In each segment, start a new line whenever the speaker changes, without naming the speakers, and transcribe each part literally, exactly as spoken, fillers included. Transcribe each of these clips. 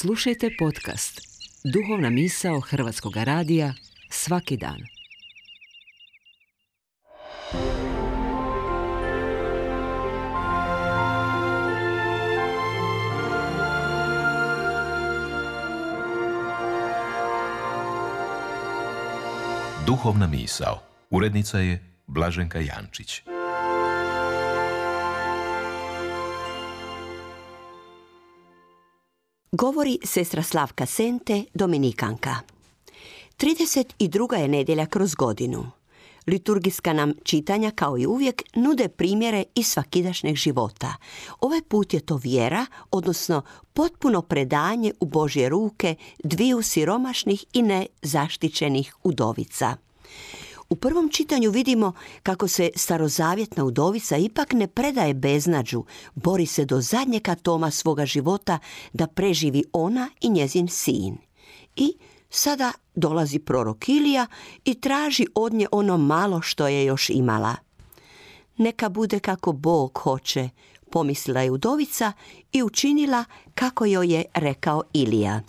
Slušajte podcast Duhovna misao Hrvatskog radija svaki dan.
Duhovna misao. Urednica je Blaženka Jančić.
Govori sestra Slavka Sente, dominikanka. trideset druga je nedjelja kroz godinu. Liturgijska nam čitanja, kao i uvijek, nude primjere iz svakidašnjeg života. Ovaj put je to vjera, odnosno potpuno predanje u Božje ruke dviju siromašnih i nezaštićenih udovica. U prvom čitanju vidimo kako se starozavjetna udovica ipak ne predaje beznađu, bori se do zadnjeg atoma svoga života da preživi ona i njezin sin. I sada dolazi prorok Ilija i traži od nje ono malo što je još imala. Neka bude kako Bog hoće, pomislila je udovica i učinila kako joj je rekao Ilija.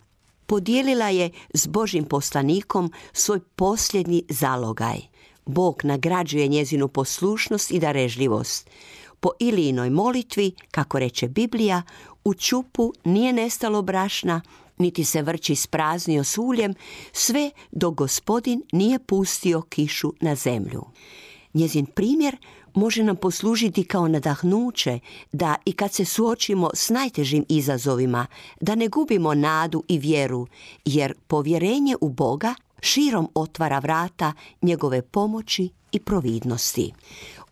Podijelila je s Božjim poslanikom svoj posljednji zalogaj. Bog nagrađuje njezinu poslušnost i darežljivost. Po Ilijinoj molitvi, kako reče Biblija, u čupu nije nestalo brašna, niti se vrč ispraznio s uljem, sve dok Gospodin nije pustio kišu na zemlju. Njezin primjer može nam poslužiti kao nadahnuće da i kad se suočimo s najtežim izazovima, da ne gubimo nadu i vjeru, jer povjerenje u Boga širom otvara vrata njegove pomoći i providnosti.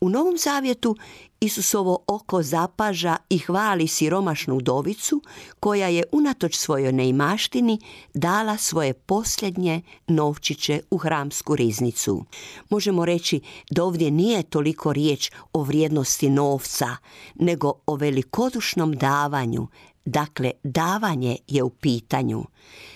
U Novom Zavjetu Isusovo oko zapaža i hvali siromašnu udovicu koja je unatoč svojoj neimaštini dala svoje posljednje novčiće u hramsku riznicu. Možemo reći da ovdje nije toliko riječ o vrijednosti novca, nego o velikodušnom davanju. Dakle, davanje je u pitanju.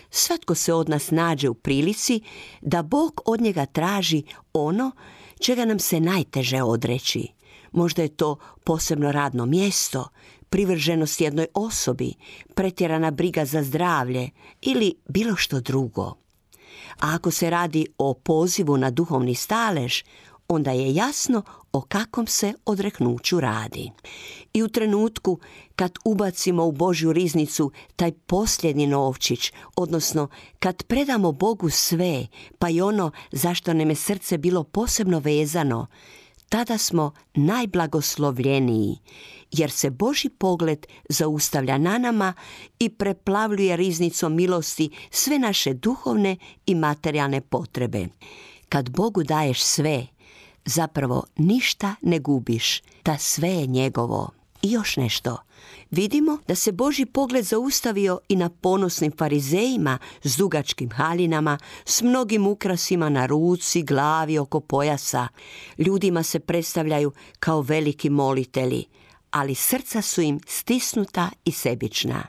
Svatko se od nas nađe u prilici da Bog od njega traži ono čega nam se najteže odreći. Možda je to posebno radno mjesto, privrženost jednoj osobi, pretjerana briga za zdravlje ili bilo što drugo. A ako se radi o pozivu na duhovni stalež, onda je jasno o kakvom se odreknuću radi. I u trenutku kad ubacimo u Božju riznicu taj posljednji novčić, odnosno kad predamo Bogu sve, pa i ono zašto nam je srce bilo posebno vezano, tada smo najblagoslovljeniji, jer se Božji pogled zaustavlja na nama i preplavljuje riznicom milosti sve naše duhovne i materijalne potrebe. Kad Bogu daješ sve, zapravo ništa ne gubiš, ta sve je njegovo. I još nešto. Vidimo da se Božji pogled zaustavio i na ponosnim farizejima s dugačkim haljinama, s mnogim ukrasima na ruci, glavi, oko pojasa. Ljudima se predstavljaju kao veliki molitelji, ali srca su im stisnuta i sebična.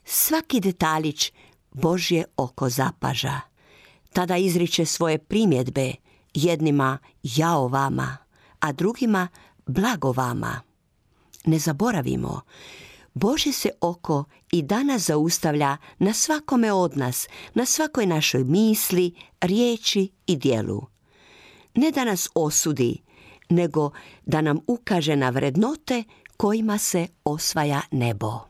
Svaki detaljić Božje oko zapaža. Tada izriče svoje primjedbe, jednima jao vama, a drugima blago vama. Ne zaboravimo, Božje se oko i danas zaustavlja na svakome od nas, na svakoj našoj misli, riječi i djelu. Ne da nas osudi, nego da nam ukaže na vrednote kojima se osvaja nebo.